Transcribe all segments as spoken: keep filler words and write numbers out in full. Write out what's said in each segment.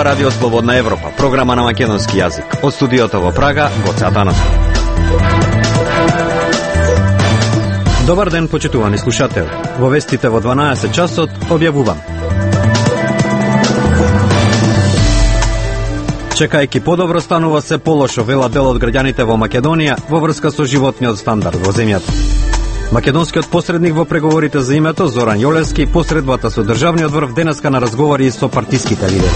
Радио Слободна Европа, програма на македонски јазик. Од студиото во Прага, Гоце Атанасов. Добар ден, почитувани слушатели. Во вестите во дванаесет часот објавувам. Чекајќи подобро станува се полошо, вела дел од граѓаните во Македонија во врска со животниот стандард во земјата. Македонскиот посредник во преговорите за името Зоран Јолевски посредбата со државниот врв денеска на разговори со партиските лидери.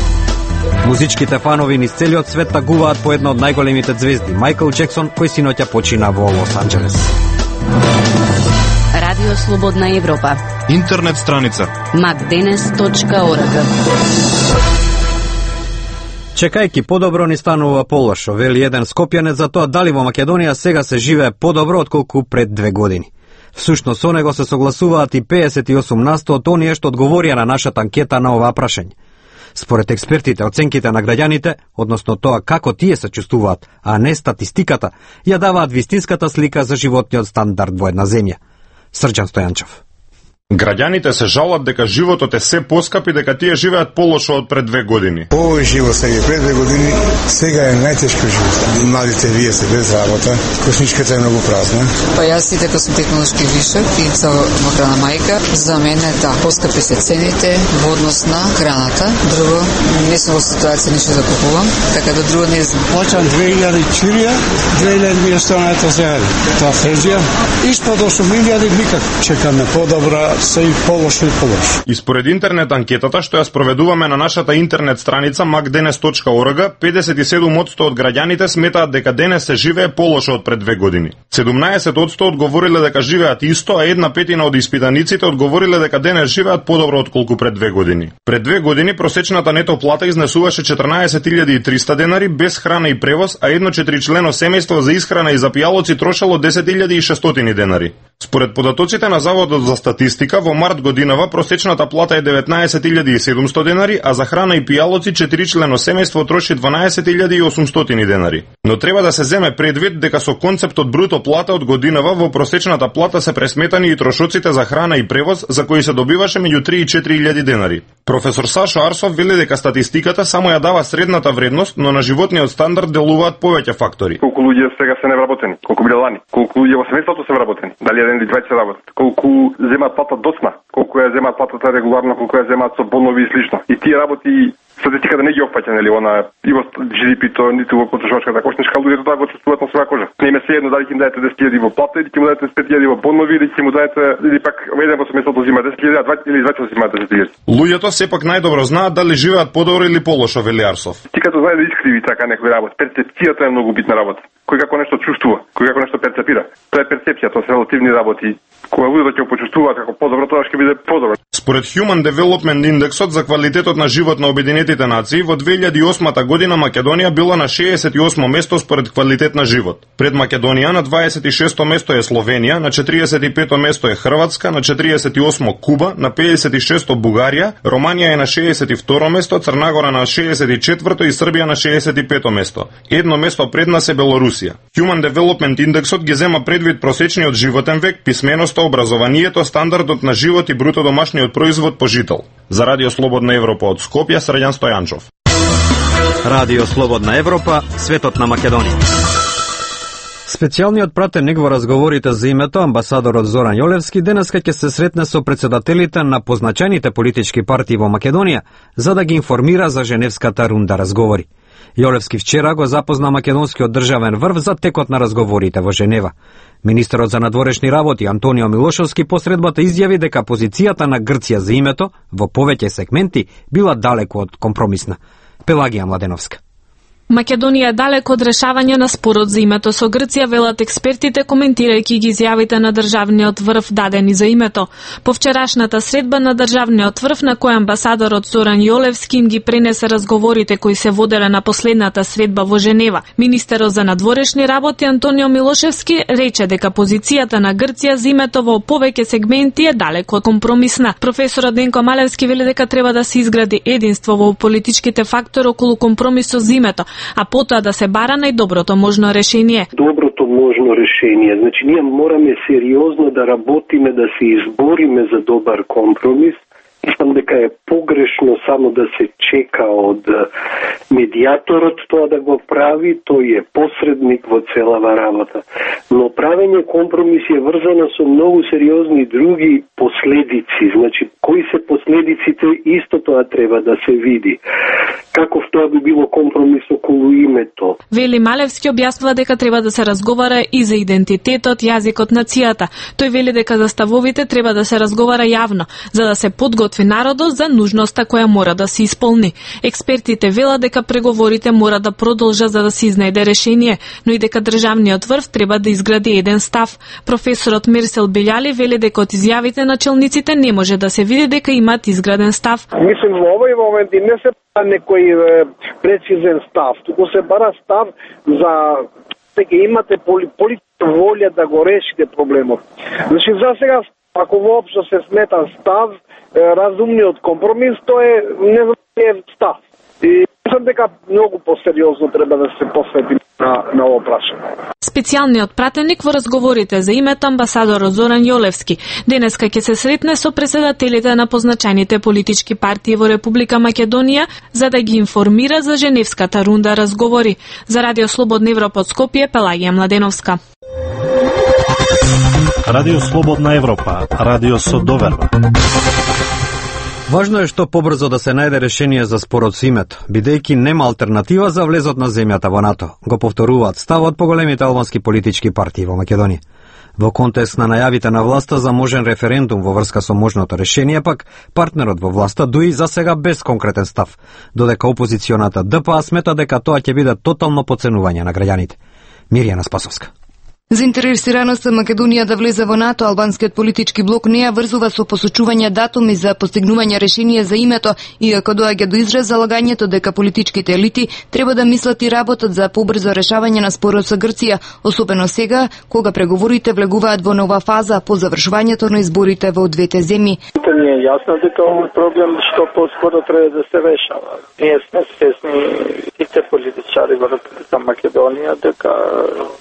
Музичките фанови низ целиот свет тагуваат по една од најголемите звезди, Мајкл Џексон, кој синоќа почина во Лос Анџелес. Радио Слободна Европа. Интернет страница макденес точка орг. Чекајќи подобро ни станува полошо, вели еден скопјанец за тоа дали во Македонија сега се живее подобро отколку пред две години. Всушност со него се согласуваат и педесет и осум на сто од оние што одговорија на нашата анкета на оваа прашање. Според експертите, оценките на граѓаните, односно тоа како тие се чувствуваат, а не статистиката, ја даваат вистинската слика за животниот стандард во една земја. Срđan Стојанчев. Граѓаните се жалат дека животот е се поскап и дека тие живеат полошо од пред две години. Овој живот сега пред две години, сега е најтешко живот. Младите вие се без работа, косничката е многу празна. Па јас и дека сум технолошки вишок и со мохрана мајка, за мене да, поскапи се цените во однос на храната. Друго, не сум во ситуација ништо да купувам, така да друго не знам. Плачам две илјади чурија, две илјади ми останата зејади. Тоа фрезија, испод осум илјади никак. Чекаме подобра се и полошо и полошо. И според интернет анкетата што ја спроведуваме на нашата интернет страница макденес точка орг, педесет и седум одсто од граѓаните сметаат дека денес се живее полошо од пред две години. седумнаесет одсто одговориле дека живеат исто, а една петина од испитаниците одговориле дека денес живеат подобро отколку пред две години. Пред две години просечната нето плата изнесуваше четрнаесет илјади и триста денари без храна и превоз, а едно четиричлено семејство за исхрана и за пијалоци трошело десет илјади и шестстотини денари. Според податоците на Заводот за статистика, во март годинава просечната плата е деветнаесет илјади и седумсто денари, а за храна и пијалоци четиричлено семејство троши дванаесет илјади и осумстотини денари. Но треба да се земе предвид дека со концептот бруто плата од годинава во просечната плата се пресметани и трошоците за храна и превоз, за кои се добиваше меѓу три и четири илјади денари. Професор Сашо Арсов вели дека статистиката само ја дава средната вредност, но на животниот стандард делуваат повеќе фактори. Колку луѓе сега се невработени, колку биле лани, колку луѓе во семејството се вработени, дали еден или дваесет работат, колку земаат плата досма, колку ја земаат платата регуларно, колку ја земаат со бонови и слично. И тие работи статистиката не ги опфаќа, нели, она и во Джи Ди Пи-то, ниту во потрошачката кошничка, луѓето тоа го чувствуваат на своја кожа. Не им е се едно дали ќе им дадете десет илјади во плата или ќе му дадете пет илјади во бонови или ќе му дадете или пак еден во семејството зима десет илјади, а два или дваесет зима десет илјади. Луѓето сепак најдобро знаат дали живеат подобро или полошо, вели Арсов. Ти като знае да искриви така некои работи, перцепцијата е многу битна работа. Кој како нешто чувствува, кој како нешто перцепира. Тоа е перцепција, тоа се релативни работи. Кога луѓето ќе почувствуваат како подобро, тоа ќе биде подобро. Според Human Development Indexот за квалитетот на живот на Обединетите нации, во две илјади и осма година Македонија била на шеесет и осмо место според квалитет на живот. Пред Македонија на дваесет и шесто место е Словенија, на четиридесет и пето место е Хрватска, на четиридесет и осмо Куба, на педесет и шесто Бугарија, Романија е на шеесет и второ место, Црнагора на шеесет и четврто и Србија на шеесет и пето место. Едно место пред нас е Белорусија. Human Development Indexот ги зема предвид просечниот животен век, писменоста, образованието, стандардот на живот и бруто домашниот производ по жител. За Радио Слободна Европа од Скопје, Срđan Стојанчов. Радио Слободна Европа, светот на Македонија. Специјалниот пратеник во разговорите за името, амбасадорот Зоран Јолевски, денеска ќе се сретне со председателите на позначајните политички партии во Македонија, за да ги информира за Женевската рунда разговори. Јолевски вчера го запозна македонскиот државен врв за текот на разговорите во Женева. Министерот за надворешни работи Антонио Милошовски посредбата изјави дека позицијата на Грција за името во повеќе сегменти била далеко од компромисна. Пелагија Младеновска. Македонија е далеко од решавање на спорот за името со Грција, велат експертите, коментирајќи ги изјавите на државниот врв дадени за името. По вчерашната средба на државниот врв, на кој амбасадорот Зоран Јолевски им ги пренесе разговорите кои се воделе на последната средба во Женева. Министерот за надворешни работи Антонио Милошевски рече дека позицијата на Грција за името во повеќе сегменти е далеко од компромисна. Професорот Денко Малевски вели дека треба да се изгради единство во политичките фактори околу компромисот за името, а потоа да се бара најдоброто можно решение. Доброто можно решение. Значи, ние мораме сериозно да работиме, да се избориме за добар компромис, Мислам дека е погрешно само да се чека од медиаторот тоа да го прави, тој е посредник во целава работа. Но правење компромиси е врзано со многу сериозни други последици. Значи, кои се последиците, исто тоа треба да се види. Каков тоа би било компромис околу името. Вели Малевски објаснува дека треба да се разговара и за идентитетот, јазикот, нацијата. Тој вели дека за ставовите треба да се разговара јавно, за да се подготви народот за нужноста која мора да се исполни. Експертите велат дека преговорите мора да продолжат за да се изнајде решение, но и дека државниот врв треба да изгради еден став. Професорот Мерсел Белјали вели дека од изјавите на челниците не може да се види дека имаат изграден став. Мислим во овој момент и не се некој прецизен став, туку се бара став за дека имате политичка волја да го решите проблемот. Значи за сега, ако воопшто се смета став, разумниот компромис, тоа е не став. И мислам дека многу посериозно треба да се посвети на, на ова прашање. Специјалниот пратеник во разговорите за името амбасадорот Зоран Јолевски денеска ќе се сретне со претседателите на позначајните политички партии во Република Македонија за да ги информира за Женевската рунда разговори. За Радио Слободна Европа од Скопје, Пелагија Младеновска. Радио Слободна Европа, радио со доверба. Важно е што побрзо да се најде решение за спорот со името, бидејќи нема алтернатива за влезот на земјата во НАТО, го повторуваат ставот по големите албански политички партии во Македонија. Во контекст на најавите на власта за можен референдум во врска со можното решение, пак партнерот во власта дуи за сега без конкретен став, додека опозиционата Д П А смета дека тоа ќе биде тотално подценување на граѓаните. Мирјана Спасовска. Заинтересираноста Македонија да влезе во НАТО, албанскиот политички блок не ја врзува со посочување датуми за постигнување решение за името, иако доаѓа до израз залагањето дека политичките елити треба да мислат и работат за побрзо решавање на спорот со Грција, особено сега, кога преговорите влегуваат во нова фаза по завршувањето на изборите во двете земји. Ни е јасно дека овој проблем што поскоро треба да се решава. Ние сме свесни сите политичари во Република Македонија дека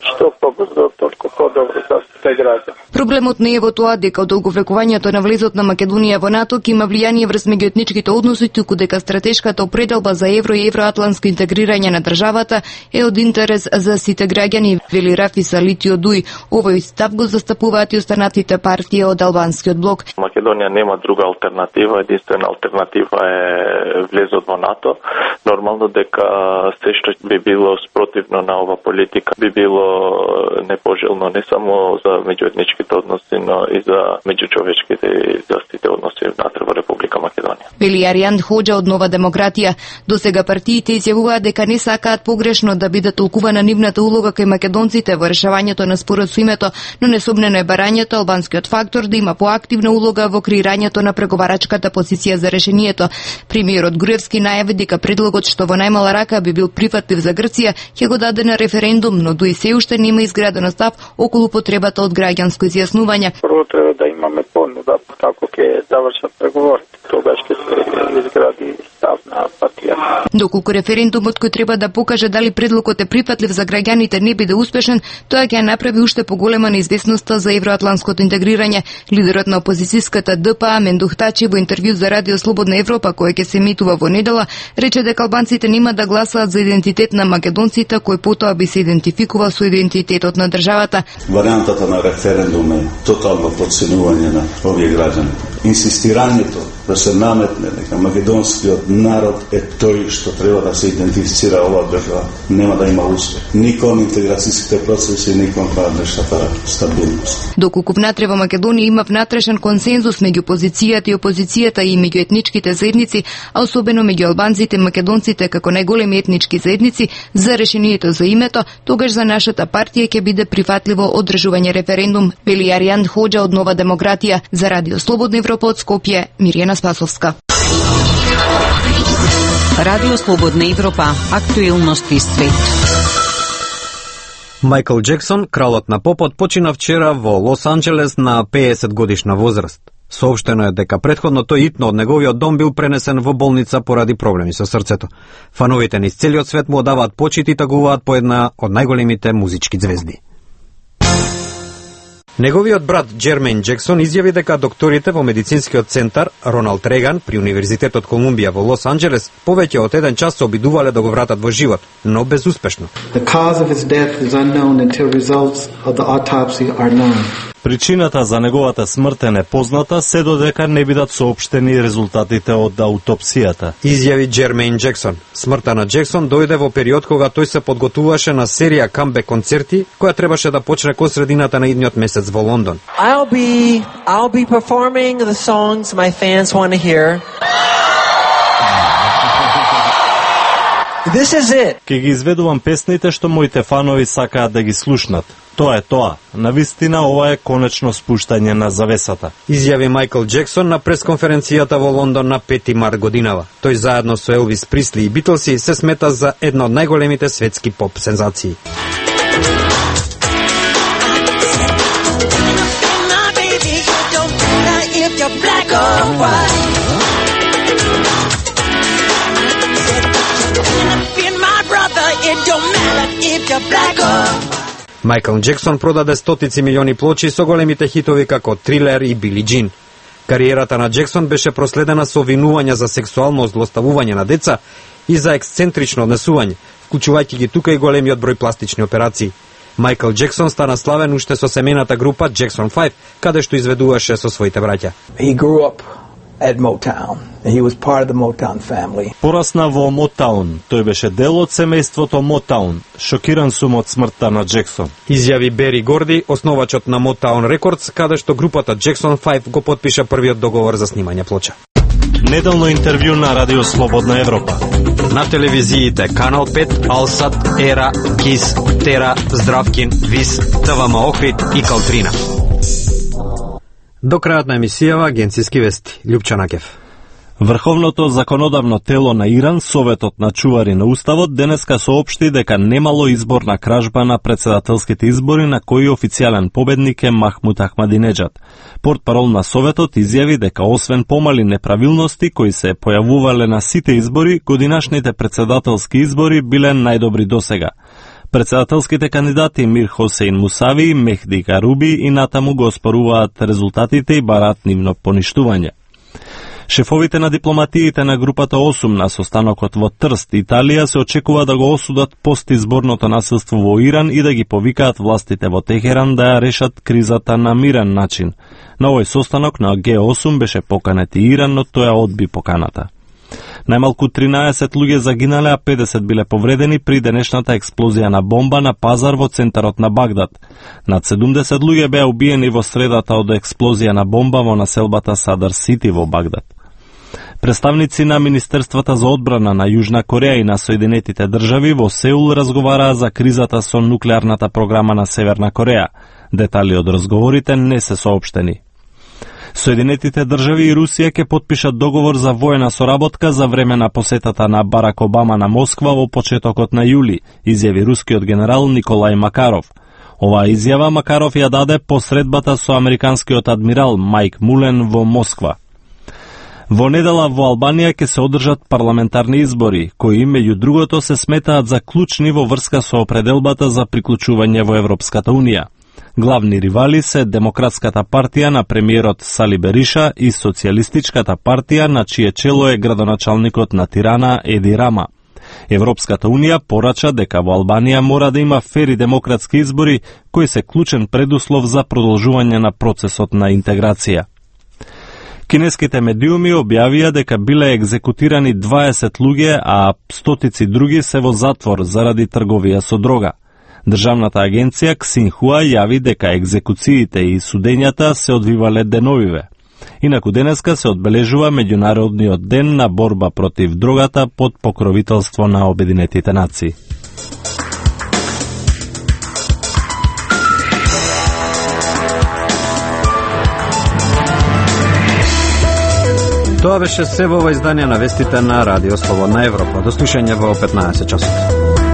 што побрзо толку подобро за сите граѓани. Проблемот не е во тоа дека одолговлекувањето на влезот на Македонија во НАТО ќе има влијание врз меѓуетничките односи, туку дека стратешката определба за евро и евроатланско интегрирање на државата е од интерес за сите граѓани, вели Рафи Салитио Дуј. Овој став го застапуваат и останатите партии од албанскиот блок. Македонија нема друга алтернатива, единствена алтернатива е влезот во НАТО. Нормално дека се што би било спротивно на ова политика би било непожелно не само за меѓуетничките односи, но и за меѓучовечките и за сите односи внатре во Република Македонија. Вели Аријан Хоџа од Нова демократија. До сега партиите изјавуваат дека не сакаат погрешно да биде толкувана нивната улога кај македонците во решавањето на спорот со името, но несомнено е барањето албанскиот фактор да има поактивна улога во креирањето на преговарачката позиција за решението. Премиерот Груевски најави дека предлогот што во најмала рака би бил прифатлив за Грција ќе го даде на референдум, но дуи се уште нема изграден став околу потребата од граѓанско изјаснување. Прво треба да имаме понуда како ќе завршат преговорите. Тогаш ќе се изгради став на партијата. Доколку референдумот кој треба да покаже дали предлогот е прифатлив за граѓаните не биде успешен, тоа ќе направи уште поголема неизвестноста за евроатланското интегрирање. Лидерот на опозицијската Д П А Мендух Тачи во интервју за Радио Слободна Европа, кој ќе се емитува во недела, рече дека албанците нема да гласаат за идентитет на македонците, кој потоа би се идентификувал со идентитетот на државата. Варијантата на референдум е тотално подценување на овие граѓани. Инсистирањето да се наметне дека македонскиот народ е тој што треба да се идентифицира оваа држава, нема да има успех. Ни кон интеграцијските процеси, ни кон внатрешната стабилност. Доколку внатре во Македонија има внатрешен консензус меѓу позицијата и опозицијата и меѓу етничките заедници, а особено меѓу албанците и македонците како најголеми етнички заедници за решението за името, тогаш за нашата партија ќе биде прифатливо одржување референдум, вели Аријан Хоџа од Нова демократија. За Радио Слободна Европа од Скопје, Мирјана Спасовска. Радио Слободна Европа, актуелности свет. Мајкл Джексон, кралот на попот, почина вчера во Лос Анџелес на пеесет годишна возраст. Соопштено е дека претходно тој итно од неговиот дом бил пренесен во болница поради проблеми со срцето. Фановите низ целиот свет му одаваат почит и тагуваат по една од најголемите музички звезди. Неговиот брат Джермейн Джексон изјави дека докторите во медицинскиот центар Роналд Реган при Универзитетот Колумбија во Лос Анџелес повеќе од еден час се обидувале да го вратат во живот, но безуспешно. The cause of his death is unknown until results of the autopsy are known. Причината за неговата смрт е непозната се додека не бидат соопштени резултатите од аутопсијата. Изјави Джермейн Джексон. Смртта на Джексон дојде во период кога тој се подготуваше на серија камбек концерти која требаше да почне кон средината на идниот месец во Лондон. I'll be I'll be performing the songs my fans want to hear. This is it. Ке ги изведувам песните што моите фанови сакаат да ги слушнат. Тоа е тоа. Навистина ова е конечно спуштање на завесата. Изјави Майкл Джексон на пресконференцијата во Лондон на пети март годинава. Тој заедно со Елвис Присли и Битлси се смета за една од најголемите светски поп сензации. Майкл Джексон продаде стотици милиони плочи со големите хитови како Трилер и Били Джин. Кариерата на Джексон беше проследена со обвинувања за сексуално злоставување на деца и за ексцентрично однесување, вклучувајќи ги тука и големиот број пластични операции. Майкл Джексон стана славен уште со семејната група Jackson Five, каде што изведуваше со своите браќа. He grew up at Motown. He was part of the Motown family. Порасна во Мотаун. Тој беше дел од семејството Мотаун. Шокиран сум од смртта на Джексон. Изјави Бери Горди, основачот на Motown Records, каде што групата Jackson Five го потпиша првиот договор за снимање плоча. Неделно интервју на Радио Слободна Европа. На телевизиите Канал пет, Алсат, Ера, Кис, Тера, Здравкин, Вис, ТВМ Охрид и Калтрина. До крајот на емисијава агенцијски вести. Лјупчана Кев. Врховното законодавно тело на Иран, Советот на чувари на Уставот, денеска соопшти дека немало изборна кражба на председателските избори на кои официјален победник е Махмуд Ахмадинеджад. Портпарол на Советот изјави дека освен помали неправилности кои се појавувале на сите избори, годинашните председателски избори биле најдобри досега. Председателските кандидати Мир Хосейн Мусави, Мехди Гаруби и натаму го оспоруваат резултатите и бараат нивно поништување. Шефовите на дипломатиите на групата осум на состанокот во Трст, Италија, се очекува да го осудат постизборното насилство во Иран и да ги повикаат властите во Техеран да ја решат кризата на мирен начин. На овој состанок на Г осум беше поканет и Иран, но тој одби поканата. Најмалку тринаесет луѓе загинале, а педесет биле повредени при денешната експлозија на бомба на пазар во центарот на Багдад. Над седумдесет луѓе беа убиени во средата од експлозија на бомба во населбата Садар Сити во Багдад. Представници на Министерствата за одбрана на Јужна Кореја и на Соединетите држави во Сеул разговараа за кризата со нуклеарната програма на Северна Кореја. Детали од разговорите не се соопштени. Соединетите држави и Русија ќе потпишат договор за воена соработка за време на посетата на Барак Обама на Москва во почетокот на јули, изјави рускиот генерал Николај Макаров. Оваа изјава Макаров ја даде по средбата со американскиот адмирал Мајк Мулен во Москва. Во недела во Албанија ќе се одржат парламентарни избори, кои меѓу другото се сметаат за клучни во врска со определбата за приклучување во Европската унија. Главни ривали се Демократската партија на премиерот Сали Бериша и Социјалистичката партија на чие чело е градоначалникот на Тирана Еди Рама. Европската унија порача дека во Албанија мора да има фери демократски избори кои се клучен предуслов за продолжување на процесот на интеграција. Кинеските медиуми објавија дека биле екзекутирани дваесет луѓе, а стотици други се во затвор заради трговија со дрога. Државната агенција Ксинхуа јави дека екзекуциите и судењата се одвивале деновиве. Инаку денеска се одбележува Меѓународниот ден на борба против дрогата под покровителство на Обединетите нации. Тоа беше се во ова издание на вестите на Радио Слободна Европа. До слушање во петнаесет часот.